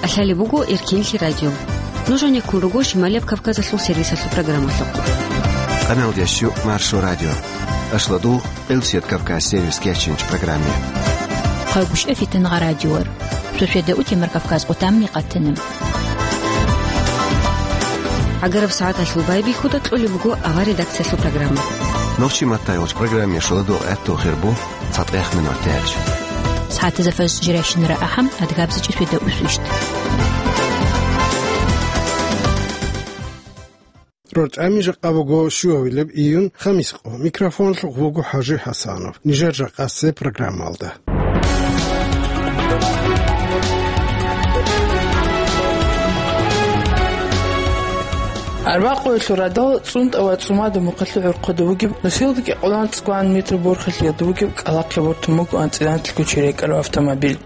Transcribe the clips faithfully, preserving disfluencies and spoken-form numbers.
Лъалеб буго Эркинлъи радио. Нуж гьанеккун руго Шималияб Кавказалъул сервисалъул программалъухъ. Къаналдящу Маршо радио. Ашладугъ Элсият Кавказ сервис кечинч программе. Хъайгуща фитангъа радиор. Шошеда утемар Кавказ къутамни къатана. ГӀагараб сагӀаталъул байбихьуда кьолеб буго ава редакциялъул программа. Нохчи маттайгъуч программе шоладугъ гӀатту хирбу. ЦатӀехъ минутаялъ. СагӀатазда фажр жирайщинара ахӀам, адгабзичӀи светда усвищт. РорчӀами жакъа буго щуабилеб июнь, хамис къо. Микрофонлъухъ вуго ХӀажи ХӀасанов. Нижер жакъасеб программалда. Арбакъуялъул радал цӀунтӀа ва цӀумада мухъалъур хъуда бугеб, нусилда кӀикъоялда цӀкӀван метр борхалъиялда бугеб кӀкӀалахъе бортун буго анцӀила анлъго чирайкӀараб автомобиль.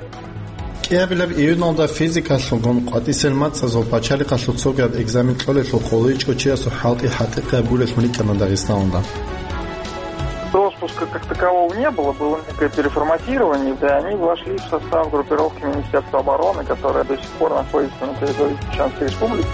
КӀиабилеб июналда физикалъулгун къватӀисел мацӀазул пачалихъалъул цогияб экзамен кьолелъул къулайчӀого чиясул хӀалтӀи хӀатӀикъияб гурелъун рикӀкӀана Дагъистаналда. Роспуска как такового не было, было некое переформатирование, да, они вошли в состав группировки Министерства обороны, которая до сих пор находится на территории Чеченской Республики.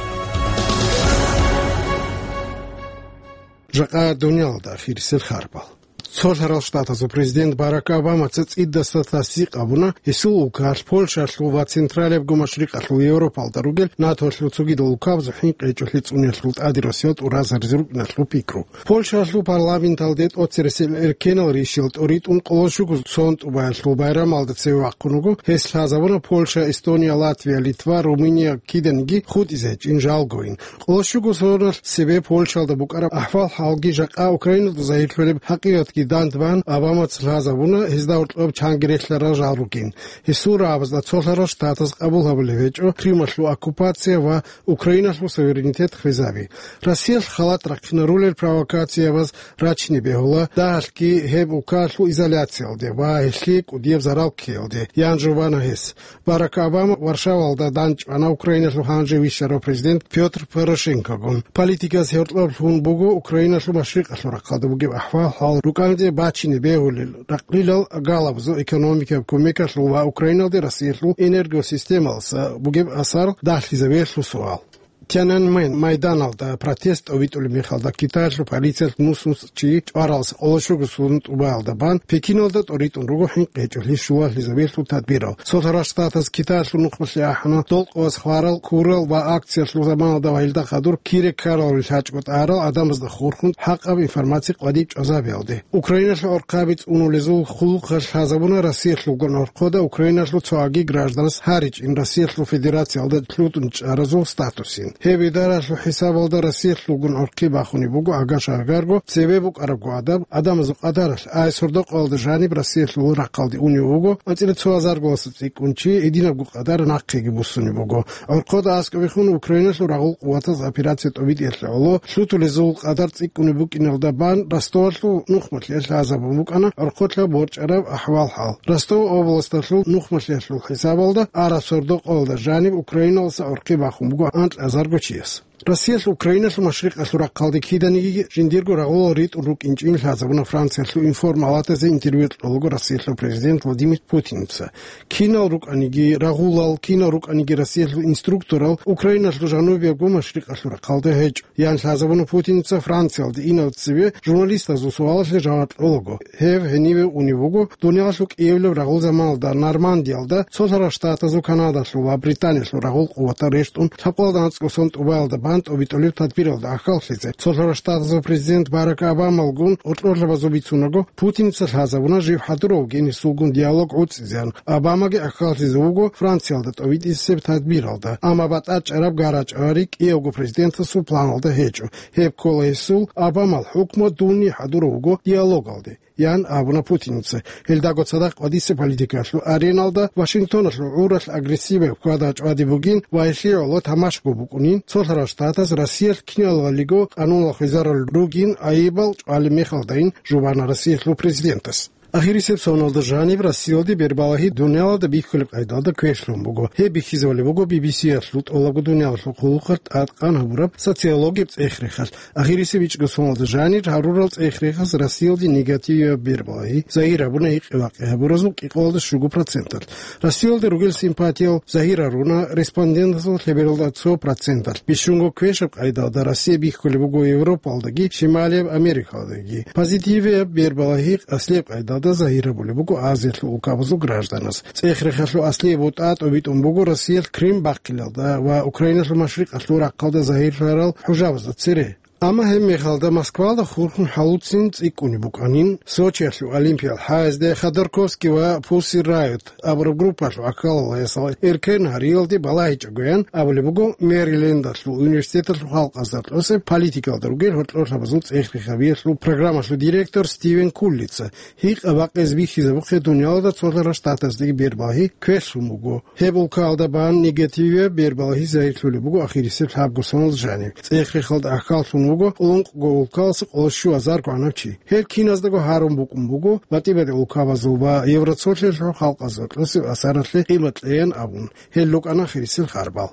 Жакъа дуниялалда хирисел харбал. Цолъарал Штатазул президент Барак Обамаца цӀидаса тасдикъ гьабуна, гьесул улкалъ Польшалъул ва Централиябго Машрикъалъул Европалда ругел НАТОлъул цогидал улкабазул хӀинкъи гьечӀолъи цӀуниялъул тӀаде росиялда тӀуразаризе рукӀиналъул пикру. Польшалъул парламенталде тӀоцересел эркенал ришиял тӀоритӀун къоло щуго сон тӀубаялъул байрамалда цеве вахъун вуго, гьес лъазабуна Польша, Эстония, Латвия, Литва, Румыния киданиги хутӀизе гьечӀин жалгойин. Къоло щуго соналъ цебе Польшалда букӀараб ахӀвал-хӀалги жакъа Украиналда загьирлъулеб хӀакъикъатги дандбан, Обамаца лъазабуна гьезда гьоркьоб чанги релълъарал жал ругин. Гьесул рагӀабазда цолъарал Штатаз къабул гьабулеб гьечӀо Крымалъул оккупация ва Украиналъул суверенитет хвезаби. Россиялъ халат рахъинарулел провокациябаз рачине бегьула, дагьалъги гьеб улкалъул изоляциялде ва гьелъие кӀудияб зарал ккеялде, ян жубана гьес. Барак Обама Варшавалда дандчӀвана Украиналъул гьанже вищарав президент Пётр Порошенкогун. Политикас гьоркьоб лъун буго Украиналъул машрикъалъул рахъалда бугеб ахӀвал-хӀал рукӀанде бачине бегьулел, ракълилал галабазул экономикаяб кумекалъул ва Украиналде Россиялъул энергосистемалъа бугеб асар дагьлъизабиялъул суал. Тяньаньмэнь майданалда протест тӀобитӀулеб мехалда Китаялъул полициялъ нус-нус чи чӀваралдаса къоло щуго сон тӀубаялда бан Пекиналда тӀоритӀун руго хӀинкъи гьечӀолъи щулалъизабиялъул тадбирал. Цолъарал Штатаз Китаялъул нухмалъе ахӀана долкъовас хварал, курал ва акциялъул заманалда ва гьелда хадур кире ккараллъи лъачӀого тӀарал адамазда хурхун хӀакъаб информация къватӀиб чӀвазабиялде. Украиналъул гӀурхъаби цӀунулезул хъулухъалъ лъазабуна Россиялъулгун гӀорхъода Украиналъул цоги гражданас гьаричӀин Россиялъул Федерациялда лъутун чӀаразул статусин. Гьеб идаралъул хӀисабалда Россиялъулгун гӀурхъи бахунеб буго агаш-агарго цебе букӀарабго адаб, адамазул къадаралъ, ай сордо-къоялда жаниб Россиялъул рахъалде унев вуго, анцӀила цо гьазар госуцӀи кӀунчи гьединабго къадар нахъеги буссунеб буго. ГӀорхъода аскӀобехун Украиналъул рагъул къуватаз операция тӀобитӀиялъе гӀоло лъутулезул къадар цӀикӀкӀунеб букӀиналда бан Ростовалъул нухмалъиялъ лъазабун букӀана гӀорхъолъа борчӀараб ахӀвал-хӀал. Ростов областалъул нухмалъиялъул хӀисабалда араб сордо-къоялда жаниб Украиналаса гӀорхъи бахун буго анкьазарго чияс. Россиялъ Украиналъул машрикъалъул рахъалде киданиги жиндирго рагъулал ритӀун рукӀинчӀин лъазабуна Франциялъул информ-палатазе интервью кьолаго Россиялъул президент Владимир Путинца. Кинал рукӀаниги рагъулал, кинал рукӀаниги Россиялъул инструкторал Украиналъул жанубиябго машрикъалъул рахъалде гьечӀо, ян лъазабуна Путинца Франциялде инав цеве журналистазул суалалъе жаваб кьолаго. Гьев гьениве унев вуго, дуниялалъул кӀиявилаб рагъул заманалда Нормандиялда, Цолъарал Штатазул, Канадалъул ва Британиялъул рагъул къуватал рещтӀун лъабкъоялда анцӀго сон тӀубаялда бан тӀобитӀулеб тадбиралда ахӀаллъизе. Цолъарал Штатазул президент Барак Обамалгун гьоркьорлъабазул бицунаго, Путинца лъазабуна жив хӀадурав гьесулгун диалог гӀуцӀизеян. Обамаги ахӀаллъизе вуго Франциялда тӀобитӀисеб тадбиралда, амма батӀачӀараб гарачӀа ва рикӀкӀиявго президентасул планалда гьечӀо. Гьеб ккола гьесул, Обамал хӀукму дунни хӀадурав вуго диалогалде, ян абуна Путинца. Гьелдаго цадахъ къватӀисеб политикалъул ареналда Вашингтоналъул гӀуралъ агрессияб хьвада чӀвади бугин ва гьелъие гӀоло тамашаго букӀунин, Цолъарал Штатаз Россиялъ киналалиго къануналъ хвезарал ругин айибал чӀвалеб мехалдайин жубана Россиялъул президентас. Ахирисеб соналда жаниб Россиялде бербалагьи дуниялалда бихьулеб къайдалда квешлъун буго. Гьеб бихьизабулеб буго Би Би Си-ялъул тӀолабго дуниялалъул хъулухъалъ тӀадкъан гьабураб социологияб цӀех-рехалъ. Ахирисеб ичӀго соналда жанир гьарурал цӀех-рехас Россиялде негативияб бербалагьи загьир гьабуна гьикъи-бакъи гьабуразул кӀикъоялда щуго проценталъ. Россиялда ругел симпатиял загьир гьаруна респондентазул лъебералда цо проценталъ. Бищунго квешаб къайдалда Россия бихьулеб буго Европалдаги Шималияб Америкалдаги. Позитивияб бербалагьи аслияб къайдалда загьир гьабулеб буго Азиялъул улкабазул гражданаз. ЦӀех-рехалъул аслияб бутӀа тӀобитӀун буго Россиялъ Крым бахъиналда ва Украиналъул машрикъалъул рахъалда загьирлъарал хӀужабазда цере. Амма гьеб мехалда Москвалда хурхун хӀалуцин цӀикӀкӀунеб букӀанин, Сочиялъул Олимпиял хӀаязде Ходорковский ва Pussy Riot абураб группалъул аккалалаясал эркен гьариялде балагьичӀогоян абулеб буго Мэрилендалъул университеталъул халкъазда кьосеб политикалда ругел гьоркьорлъабазул цӀех-рехабиялъул программалъул директор Стивен Куллица. Гьикъа-бакъизе бихьизабухъе дуниялалда цолъарал штатаздаги бербалагьи квешлъун буго. Гьеб улкаялда бан негативияб бербалагьи загьирлъулеб буго ахирисеб лъабго соналда жаниб. ЦӀех-рехалда ахӀаллъун вуго ункъго улкаялъул къоло щуазарго гӀанав чи. Гьел киназдаго гьарун букӀун буго батӀи-батӀи улкабазул ва Евроцолъиялъул халкъазда кьосеб асаралъе къимат кьеян абун. Гьел рукӀана ахирисел харбал.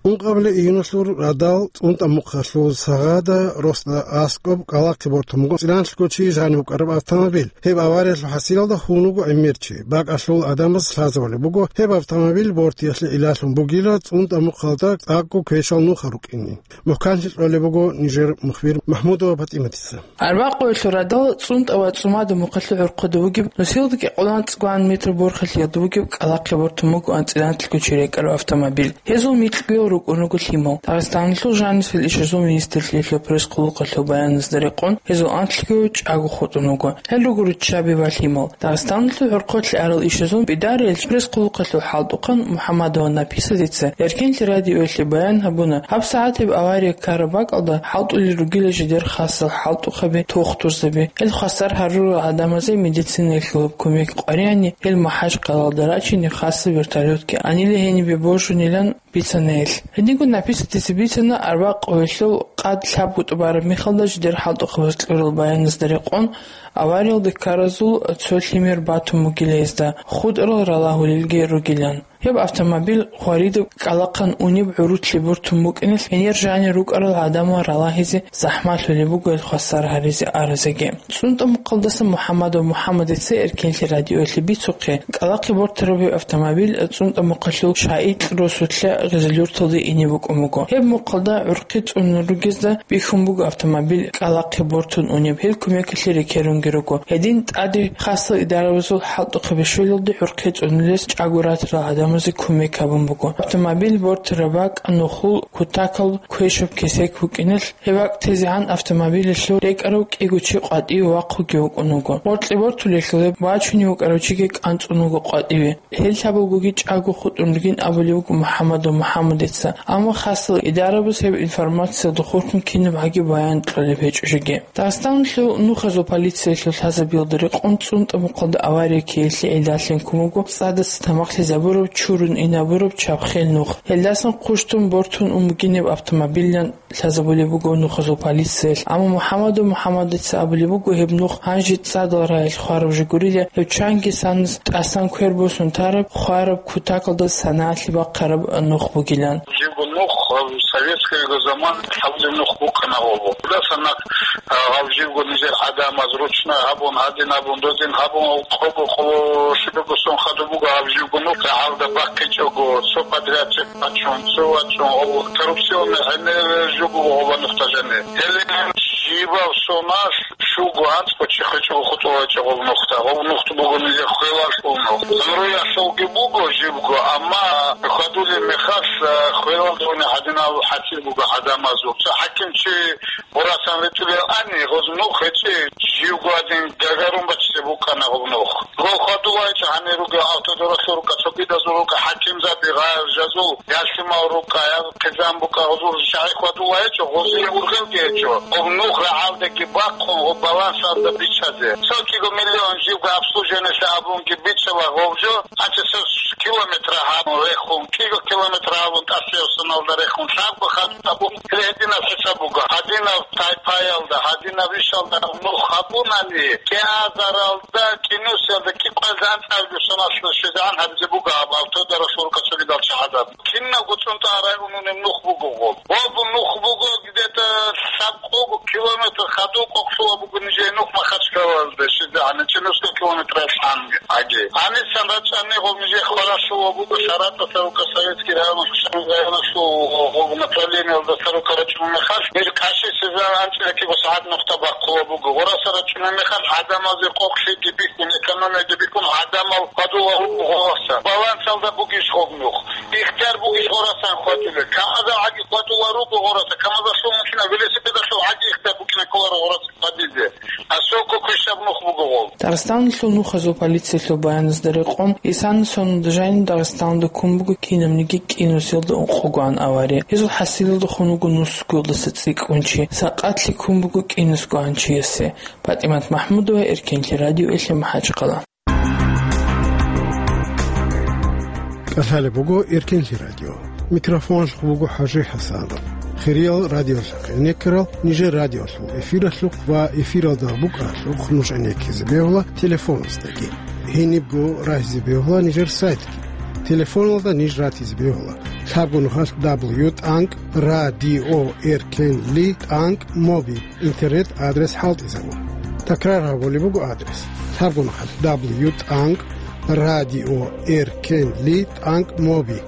Ункъабилеб июналъул радал ЦӀунтӀа мухъалъул сагъада росда аскӀоб кӀкӀалахъе бортун буго цӀиланлъго чи жанив вукӀараб автомобиль. Гьеб авариялъул хӀасилалда хьун вуго гӀемер чи. БакӀалъул гӀадамаз лъазабулеб буго гьеб автомобиль бортиялъе илалъун бугила ЦӀунтӀа мухъалда цӀакъго квешал нуха рукӀине. МухӀканлъи кьолеб буго нижер мухбир Махмудова ПатӀиматица. Арбакъуялъул радал ЦӀунтӀа ва ЦӀумада мухъалъул гӀурхъуда вугеб, нусилда кӀикъоялда анцӀгоан метр борхалъиялда вугеб кӀкӀалахъе бортун бугоан цӀиланлъго чи рекӀараб автомобиль. Гьезул микьгоял рукӀун руго лъимал. Дагъистаналъул жанисел ишазул министрлъиялъул пресс-хъулухъалъул баяназда рекъон, гьезул анлъгояв чӀаго хутӀун вуго. Гьел руго руччаби ва лъимал. Дагъистаналъул гӀурхъулъе арал ишазул пидариял пресс-хъулухъалъул хӀалтӀухъан МухӀаммадова Написатица Эркенлъи радиоялъе баян гьабуна, гьаб сагӀатиб авария ккараб бакӀалда хӀалтӀулел ругила жидер хасал хӀалтӀухъаби, тухтурзаби. Гьел хвасар гьарурал гӀадамазе медицинаялъулаб кумек къваригӀани, гьел МахӀачкъалаялда рачине хасаб вертолётги анила гьенибе божунилан бицана гьел. Гьединго Написатица бицана, арбакъуялъул къад лъабго тӀубараб мехалда жидер хӀалтӀухъабаз кьурал баяназда рекъон, авариялда ккаразул цо лъимер батун бугила гьезда, хутӀарал ралагьулелги ругилан. Гьеб автомобиль хваридаб кӀкӀалахъан унеб гӀурутлъи бортун букӀиналъ, гьенир жанир рукӀарал гӀадамал ралагьизе захӀмалъулеб буго гьел хвасар гьаризе аразеги. ЦӀунтӀа мухъалдаса МухӀаммадов МухӀаммадица Эркенлъи радиоялъе бицухъе, кӀкӀалахъе бортараб гьеб автомобиль ЦӀунтӀа мухъалъул Шагьитлъ росулъа Гъизлюрталде ине букӀун буго. Гьеб мухъалда гӀурхъи цӀунун ругезда бихьун буго автомобиль кӀкӀалахъе бортун унеб, гьел кумекалъе рекерунги руго. Гьедин тӀаде хасал идарабазул хӀалтӀухъаби щвелалде гӀурхъи цӀунулес чӀаго ратарал гӀадамазе кумек гьабун буго. Автомобиль бортараб бакӀ нухул кутакал квешаб кесек букӀиналъ, гьеб бакӀ тезегӀан автомобилялъул рекӀарав кӀиго чи къватӀиве вахъуги вукӀун вуго. Гъоркье бортулелъул гьеб бачунев вукӀарав чиги кӀанцӀун вуго къватӀиве. Гьел лъабабгоги чӀаго хутӀун ругин абулеб буго МухӀаммадов МухӀаммадица. Амма хасал идарабаз гьеб информациялда хурхун кинаб гӀаги баян кьолеб гьечӀо жеги. Дагъистаналъул нухазул полициялъул лъазабиялда рекъон ЦӀунтӀа мухъалда авария ккеялъе гӀидалъе ккун буго цӀадаса тамахлъизабураб чурун инабураб чабхел нух. Гьелдасан хъущтун бортун ун бугинеб автомобилан лъазабулеб буго нухазул полициялъ. Амма МухӀаммадов МухӀаммадица абулеб буго гьеб нух гьанже цӀадал рагӀил хвараб жо гурила, гьеб чанги санас тӀасан квер босун тараб, хвараб, кутакалда санагӀалъи бахъараб нух бугилан. Жибго нух, э, советскийго заман лъабабилеб нух букӀана гъобу. Даса нах, э, гьав жибго нижер гӀадамаз ручной гьабун, гьадин гьабун, дозин гьабун, къого къоло шибего сон хадуб буго гьав жибго нух, рагӀалда бахъичӀого, цо подрядчик вачун, цо вачун, гъов коррупционный гӀемер жо буго гъоба нухда жаниб. Гьеле жибав соналъ щуго анцӀго чи хвечӀого хутӀуларичӀо гъов нухда. Гъов нухда буго нижер хвелалъул нух. Гъамруялъулги буго жибго, амма хьвадулеб мехалъ, а, хвелалда гьадинав хӀатир буго гӀадамазул. Цо хӀакимчи гъурасан ритӀулел ани, гъоз нух гьечӀи, живго гьадин гагарун бачизе букӀана гъоб нух. Гъол хьвадулайчӀо гьанир ругел автодоралъул рукӀа, цогидазул рукӀа, хӀакимзаби, гъажазул, ялъимал рукӀа, я хъизан букӀа, гъозул шагьи хьвадулайчӀо, гъозие ургъелги гьечӀо. Гъоб нух рагӀалдаги бахъун, гъоб балансалда биччазе. Цо кӀиго миллион живго обслуживаниелъе абунги биччала гъов жо, гьанже цо километр гьабун рехун, кӀиго километр гьабун тӀасияб соналда рехун, лъабго хадуб гьабун, гьединаб хӀисаб буго. Гьадинаб тайпаялда, гьадинаб ишалда нух гьабунани, кӀиазаралда, кӀинусиялда, кӀикъоялда анцӀабилеб соналъ щвезегӀан гьабизе буго гьаб автодаралъул рукъа цогидал чагӀазаб. Кинабго цӀунтӀа районунеб нух буго гъоб. Гъоб нух буго где-то лъабкъого километр хадуб къокълъула буго нижее нух Махачкалалде щвезегӀан, гьанчи нусго километралъ гьанги. Гьаги. Гьанисан рачӀани гъоб нижее хваралъула буго Саратовалъул рукъа, Советский район, Хусамин районалъул гъоб направлениялда сарука рачӀунеб мехалъ, мир каши сеза анцӀила киго сагӀат нухда бахъула буго. Гъораса рачӀунеб мехалъ гӀадамазе къокълъиги бихьун, экономияги бихьун, гӀадамал хьвадула руго гъораса. Балансалда бугищ гъоб нух? Ихтияр бугищ гъорасан хьвадулел? Камазал гӀаги хьвадула руго гъораса, камазалъул мухьина, велосипедалъул гӀаги ихтияр букӀина кколаро гъораса хьвадизе. Асолго квешаб нух буго гъол. Дагъистаналъул нухазул полициялъул баяназда рекъон, исана соналда жаниб Дагъистаналда ккун буго кинабниги кӀинусиялда ункъогоан авария. Гьезул хӀасилалда хун вуго нусгоялдаса цӀикӀкӀун чи, сакъатлъи ккун буго кӀинусгоан чиясе. ПатӀимат МахӀмудова, Эркенлъи радиоялъе, МахӀачхъала. КӀалъалеб буго Эркенлъи радио. Микрофоналъухъ буго ХӀажи ХӀасанов. Хириял радиолъухъ гӀенеккарал нижер радиолъул эфиралъухъ ва эфиралда букӀаралъухъ нуж гӀенеккизе бегьула телефоназдаги. Гьенибго рагьизе бегьула нижер сайтги. Телефоналда ниж ратизе бегьула: лъабго нухалъ дабл ю тӀанкӀ радио эркенли тӀанкӀ моби. Интернет-адрес хӀалтӀизабун. Такрар гьабулеб буго адрес: лъабго нухалъ дабл ю тӀанкӀ радио эркенли тӀанкӀ моби.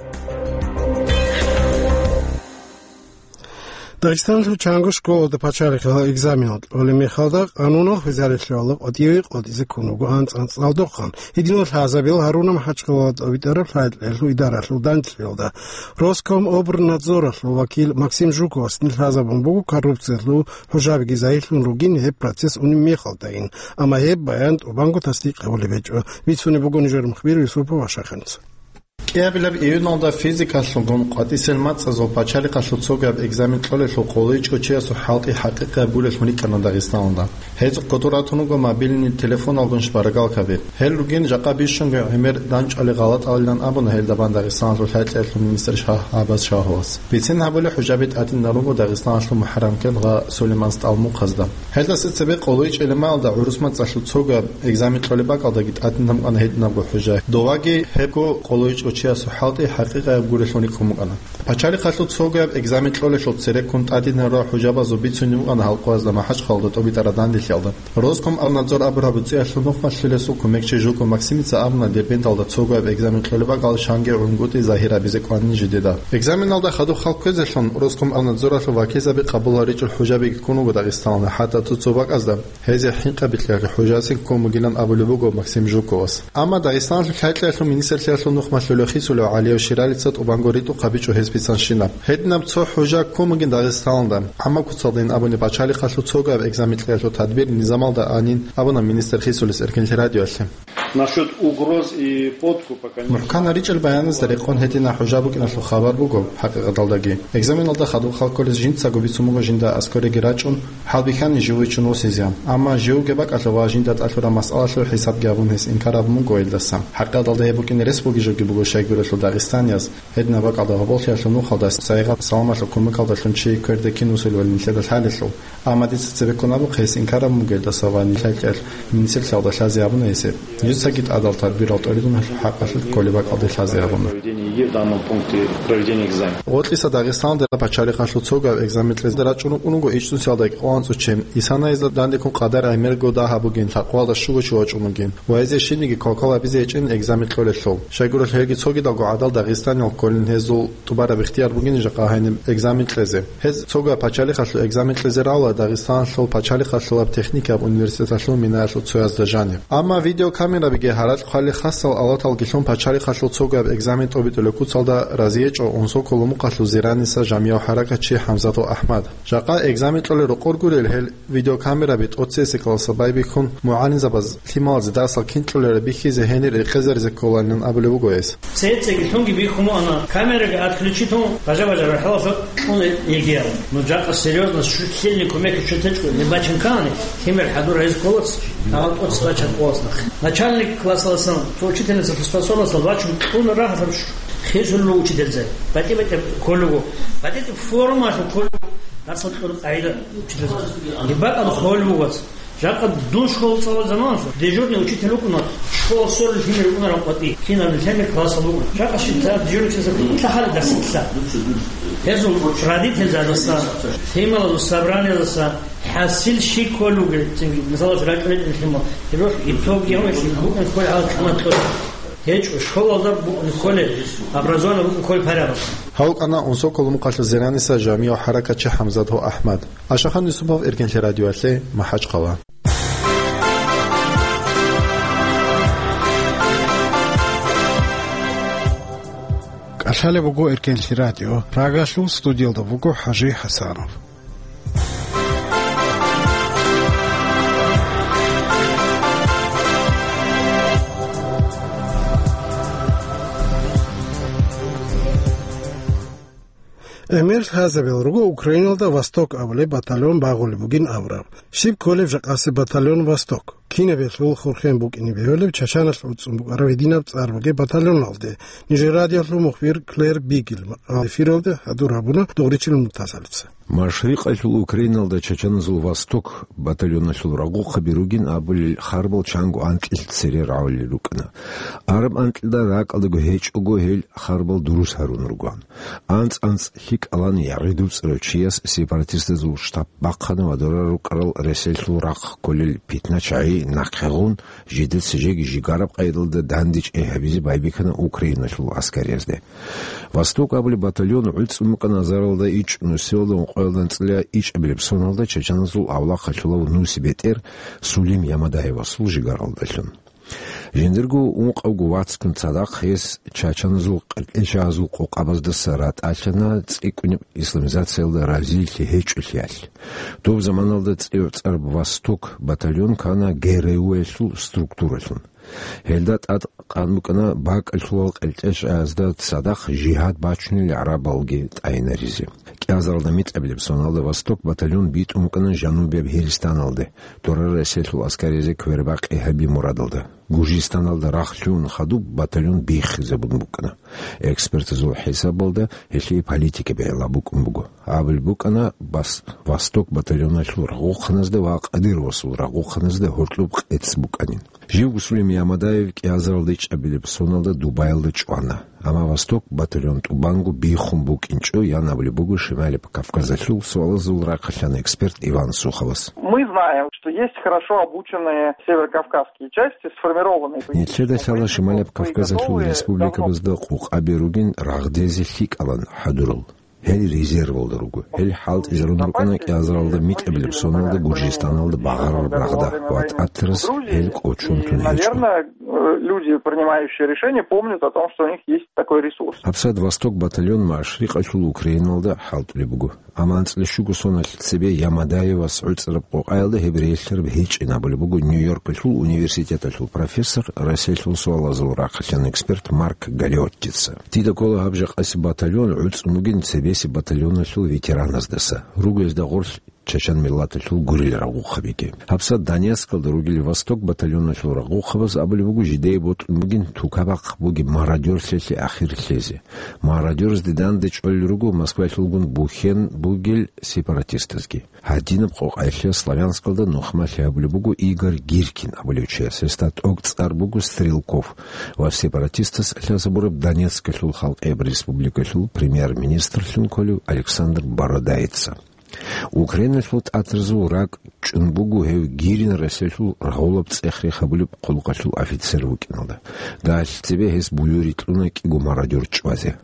Дагъистаналъул чанго школалда пачалихъ экзаменал кьолеб мехалда, къануналъ везарелъул гьалаб къватӀиве къватӀизе ккун вуго анцӀ-анцӀдалдухъан. Гьединал лъазабил гьаруна МахӀачхъалалда тӀобитӀараб лъай-кьеялъул идаралъул данделъиялда. Роскомобрнадзоралъул вакил Максим Жуковас нилъ лъазабун буго коррупциялъул хӀужабиги загьирлъун ругин гьеб процесс унеб мехалдайин, амма гьеб баян тӀубанго тасдикъ гьабулеб гьечӀо. Бицунеб буго нижер мухбир Юсупов Ашаханца. КӀиабилеб июналда физикалъулгун къватӀисел мацӀазул пачалихъалъул цогаб экзамен кьолелъул къоло ичӀго чиясул хӀалтӀи хӀакъикъияб гурелъун рикӀкӀана Дагъистаналда. Гьез кодор ратун руго мобильный телефоналгун шпаргалкаби. Гьел ругин жакъа бищунго гӀемер данчӀвали гъалатӀалилан абуна гьелда бан Дагъистаналъул лъай-кьеялъул министр Шагь-Гьабаз Шагьовас. Бицин гьабулеб хӀужаби тӀадинал руго Дагъистаналъул МухӀаррамкеб гъа Сулейман СтӀал Мухъазда. Гьелдаса цебе къоло ичӀелемаялда гӀурус мацӀалъул цогаб экзамен кьолеб бакӀалдаги тӀадинаб букӀана гьединабго хӀужа. Доваги гьебго къоло ичӀго чиясул хӀалтӀи хӀакъикъияб гурелъун рикӀкӀун букӀана. Пачалихъалъул цогаб экзамен кьолелъул цереккун тӀадинарурал хӀужабазул бицунеб букӀана гьал къоязда МахӀачхъалалда тӀобитӀараб данделъиялда. Роскомобрнадзор абураб буцӀиялъул нухмалъулесул кумекчи Жуков Максимица абуна Дербенталда цогаб экзамен кьолеб бакӀал чанги гӀунгутӀи загьир гьабизе кӀванин жидеда. Экзаменалда хадуб хал кквезелъун Роскомобрнадзоралъул вакилзаби къабул гьаричӀел хӀужабиги ккун руго Дагъистаналда, хӀатта цо-цо бакӀазда гьезие хӀинкъаби кьеги хӀужаси ккун бугилан абулеб буго Максим Жуковас. Амма Дагъистаналъул лъай-кьеялъул министрлъиялъул нухмалъулев Хисулев ГӀалияв Ширалица тӀубанго ритӀухъ гьабичӀо гьес бицанщина. Гьединаб цо хӀужа ккун бугин Дагъистаналда, амма куцалдайин абуни пачалихъалъул цогаб экзамен кьеялъул тадбир низамалда анин абуна министр Хисулис Эркенлъи радиоялъе. Насчет угроз и подкупа, конечно. МухӀкан гьаричӀел баяназда рекъон гьединаб хӀужа букӀиналъул хабар буго, хӀакъикъаталдаги. Экзаменалда хадуб хал кколез жинцаго бицун буго жинда аскӀореги рачӀун, хӀалбихьани живго вичун восизе, амма живго бакӀалъув ва жинда тӀалъураб масъалалъул хӀисабги гьабун гьес инкар гьабун буго гьелдаса. ХӀакъикъаталда гьеб букӀине рес бугеб жоги буго щайгурелъул дагъистанияз, гьединаб бакӀалда гъоболлъиялъул нухалда сайигъат саламалъул кумекалдалъун чи кверде кин вуссулевали нилъеда лъалелъул. Амма дица цебеккун абухъе гьес инкар гьабун буго гьелдаса ва нилъ лъай-кьеялъ министрлъиялда лъазе гьабуна гьес гьеб. Жинцаги тӀадал тадбирал тӀоридунлъул хӀакъалъулъ кколеб бакӀалде лъазе гьабуна. Проведение ЕГЭ в данном пункте проведения экзамена. Гъоркьиса Дагъистаналда пачалихъалъул цогаб экзамен кьезе рачӀун рукӀун руго ичӀнусиялда кӀикъоялда анцӀго чин. Исана гьезда данде ккун къадар гӀемерго дагь гьабугин, лъабкъоялда щуго чи вачӀун вугин ва гьезие щибниги квалквал гьабизе гьечӀин экзамен кьолелъул. Щайгурелъул гьелги цогидалго гӀадал Дагъистаниял кколин гьезул тӀубараб ихтияр бугин жакъа гьаниб экзамен кьезе. Гьез цогаб пачалихъалъул экзамен кьезе равла Дагъистаналъул пачалихъалъулаб техникаб университеталъул минаялъул цоязда жаниб. Амма видеокамерабиги гьаракь хъвали хасал алаталги лъун пачалихъалъул цогаб экзамен тӀобитӀулеб куцалда разиечӀо Унсоколомухъалъул Зираниса жамияв хӀаракатчи ХӀамзатов АхӀмад. Жакъа экзамен кьолел рокъор гурел гьел видеокамераби тӀоцесекаласа байбихьун, мугӀалимзабаз лъималазе дарсал кин кьолеб бихьизе гьенир рекъезаризе кколанилан абулеб буго гьес. Цецаги лъунги бихьун буго, ана камераги отключитун, бажа-бажа рахӀалалъа кьун ЕГЭ-ял. Ну, жакъа серьёзно, щут лъилни кумек щут гьечӀо, не бачун ккани, лъимер хӀадур гьез кколац. Гьал тӀоцебе бачӀараб къоялъ нахъе. Начальник классалдасан, цо учительница способностал вачун кьун рагьараб ш-, хисуллу учительзе. БатӀи-батӀи кколего. БатӀи-батӀи формалъун кколего. Дарсал кьураб къагӀида учительзе. Гьеб бакӀалда холеб буго. Жакъа дун школа цӀалулеб заманалъ дежурный учитель вукӀуна, школа сорулъ лъимер вукӀунараб къватӀи. Кинаб лъимер классалда вукӀуна. Жакъа щиб дежурный учительзе кьун лъахӀалеб дарсалъ. Гьезул родительзабаздаса, лъималазул собраниязаса, ХӀасил щиб кколев вугев, цинги, мисалалъ, ракӀалде ритӀун лъимал. Гьеб итог гьавешлъи букӀун кколеб гьал кӀамат кьолеб. ГьечӀо, школалда букӀун кколеб, образованный букӀун кколеб параграф. Гьав вукӀана Унсоколомукъалъул Зираниса жамигӀ хӀаракатчи ХӀамзат ва АхӀмад. Ашахан Юсупов, Эркенлъи радиоялъе, МахӀачхъала. КӀалъалеб буго Эркенлъи радио. Прагалъул студиялда вуго ХӀажи ХӀасанов. ГӀемер лъазабил руго Украиналда «Восток» абулеб батальон багъулеб бугин абураб. Щиб кколеб жакъасеб батальон «Восток»? Кинаб гьелъул хурхен букӀине бегьулеб Чачаналъ гӀуцӀун букӀараб гьединаб цӀар бугеб батальоналде? Нижер радиолъул мухбир Клэр Бигел макъала эфиралде хӀадур гьабуна Дугъричил Муртазалица. Машрикъалъул Украиналда чачаназул «Восток» батальоналъул рагъухъаби ругин абулел харбал чанго анкьил цере рагӀулел рукӀана. Араб анкьида ракӀалдаго гьечӀого гьел харбал дурус гьарун ругоан. АнцӀ-анцӀ лъикӀалан ягъидувцӀарав чияс сепаратистазул штаб бахъана ва дора рукӀарал ресалъул рахъ кколел питна-чагӀи нахъе гъун, жидеца жеги жигараб къайдалда дандечӀей гьабизе байбихьана Украиналъул аскариязде. «Восток» абулеб батальон гӀуцӀун букӀана азаралда ичӀ нусиялда ункъоялда анцӀила ичӀабилеб соналда чачаназул авлахъалъулав нусибетӀер Сулим Ямадаевасул жигаралдалъун. Жиндирго ункъавго вацгун цадахъ гьес чачаназул къеркьечагьазул къокъабаздаса ратӀалъана цӀикӀкӀунеб исламизациялда разилъи гьечӀолъиялъ. Доб заманалда цӀи-, цӀараб «Восток» батальон ккана ГРУ-ялъул структуралъун. Гьелда тӀад къан букӀана бакӀалъулал къеркьечагьазда цадахъ жигьад бачунел гӀарабалги тӀайинаризе. КӀиазаралда мицӀабилеб соналда «Восток» батальон битӀун букӀана жанубияб Гьиристаналде, дора ресалъул аскаризе квербакъи гьаби мурадалда. Гуржистаналда рахлъун хадуб батальон биххизабун букӀана. Экспертазул хӀисабалда гьелъие политика бегӀла букӀун буго. Абулеб букӀана бас-, «Восток» батальоналъул рагъухъаназда ва Кадыровасул рагъухъаназда гьоркьоб къец букӀанин. Живго Сулим Ямадаев кӀиазаралда ичӀабилеб соналда Дубайлда чӀвана. Амма «Восток» батальон тӀубанго биххун букӀинчӀо, ян абулеб буго Шималияб Кавказалъул суалазул рахъалъан эксперт Иван Суховас. Мы знаем, что есть хорошо обученные северокавказские части, сформированные по... Нилъеда лъала Шималияб Кавказалъул республикабазда къокъаби ругин рагъдезе лъикӀалан хӀадурал. Гьел резервалда руго. Гьел хӀалтӀизарун рукӀана кӀиазаралда микьабилеб соналда Гуржистаналда багъарараб рагъда ва тӀатарас гьел кӀочон тун гьечӀо. Наверное, люди, принимающие решения, помнят о том, что у них есть такой ресурс. ГьабсагӀат «Восток» батальон Машрикъалъул Украиналда хӀалтӀулеб буго. Амма анцӀила щуго соналъ цебе Ямадаевас гӀуцӀараб къокъаялда гьеб релълъараб гьечӀин абулеб буго Нью-Йоркалъул университеталъул профессор, Россиялъул суалазул рахъалъан эксперт Марк Галеоттица. Дида ккола гьаб жакъасеб батальон гӀуцӀун бугин цебесеб батальоналъул ветераназдаса. Руго гьезда гъорлъ чачан миллаталъул гурел рагъухъабиги. ГьабсагӀат Донецкалда ругел «Восток» батальоналъул рагъухъабаз абулеб буго жидее бокьун бугин тукабахъ бугеб мародёрлъиялъе ахир лъезе. Мародёрзде данде чӀолел руго Москвалъулгун бухьен бугел сепаратистазги. Гьадинаб къокъаялъе Славянскалда нухмалъи гьабулеб буго Игорь Гиркин абулев чияс, гьесда тӀокӀ цӀар буго Стрелков ва сепаратистас лъазабураб Донецкалъул халкъияб республикалъул премьер-министрлъун кколев Александр Бородаица. Украиналъул тӀатарзул ракӀ чӀун буго гьев Гирин Россиялъул рагъулаб цӀех-рех гьабулеб хъулухъалъул офицер вукӀиналда. Дагьалъ цебе гьес буюри кьуна кӀиго мародёр чӀвазе.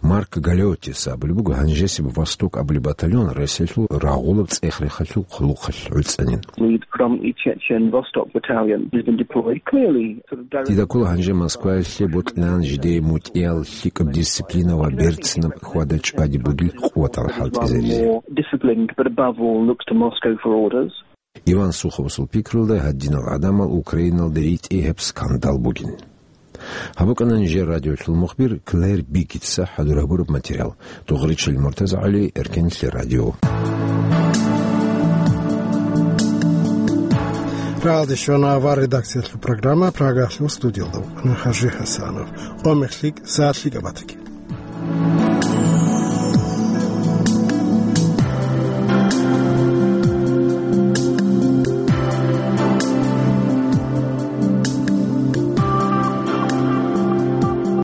Марк Галеотис абулеб буго, гьанжесеб «Восток» абулеб батальон Россиялъул рагъулаб цӀех-рехалъул хъулухъалъ гӀуцӀанин. Lead from the Chechen Vostok Battalion has been deployed. Clearly, sort of direct... Дида ккола гьанже Москваялъе бокьилаан жидее мутӀигӀал, лъикӀаб дисциплина ва берцинаб хьвада-чӀвади бугел къуватал хӀалтӀизаризе. More disciplined, but above all looks to Moscow for orders. Иван Суховасул пикрулда, гьадинал гӀадамал Украиналда ритӀи гьеб скандал бугин. Гьаб букӀана нижер радиолъул мухбир Клэр Биггитса хӀадур гьабураб материал. Дугъричил МуртазагӀали, Эркенлъи радио. Прагьалде щвана авар редакциялъул программа, Прагаялъул студиялда вукӀана Хажи Хасанов. Къо мехлъи, сагӀат лъикӀаб батаги.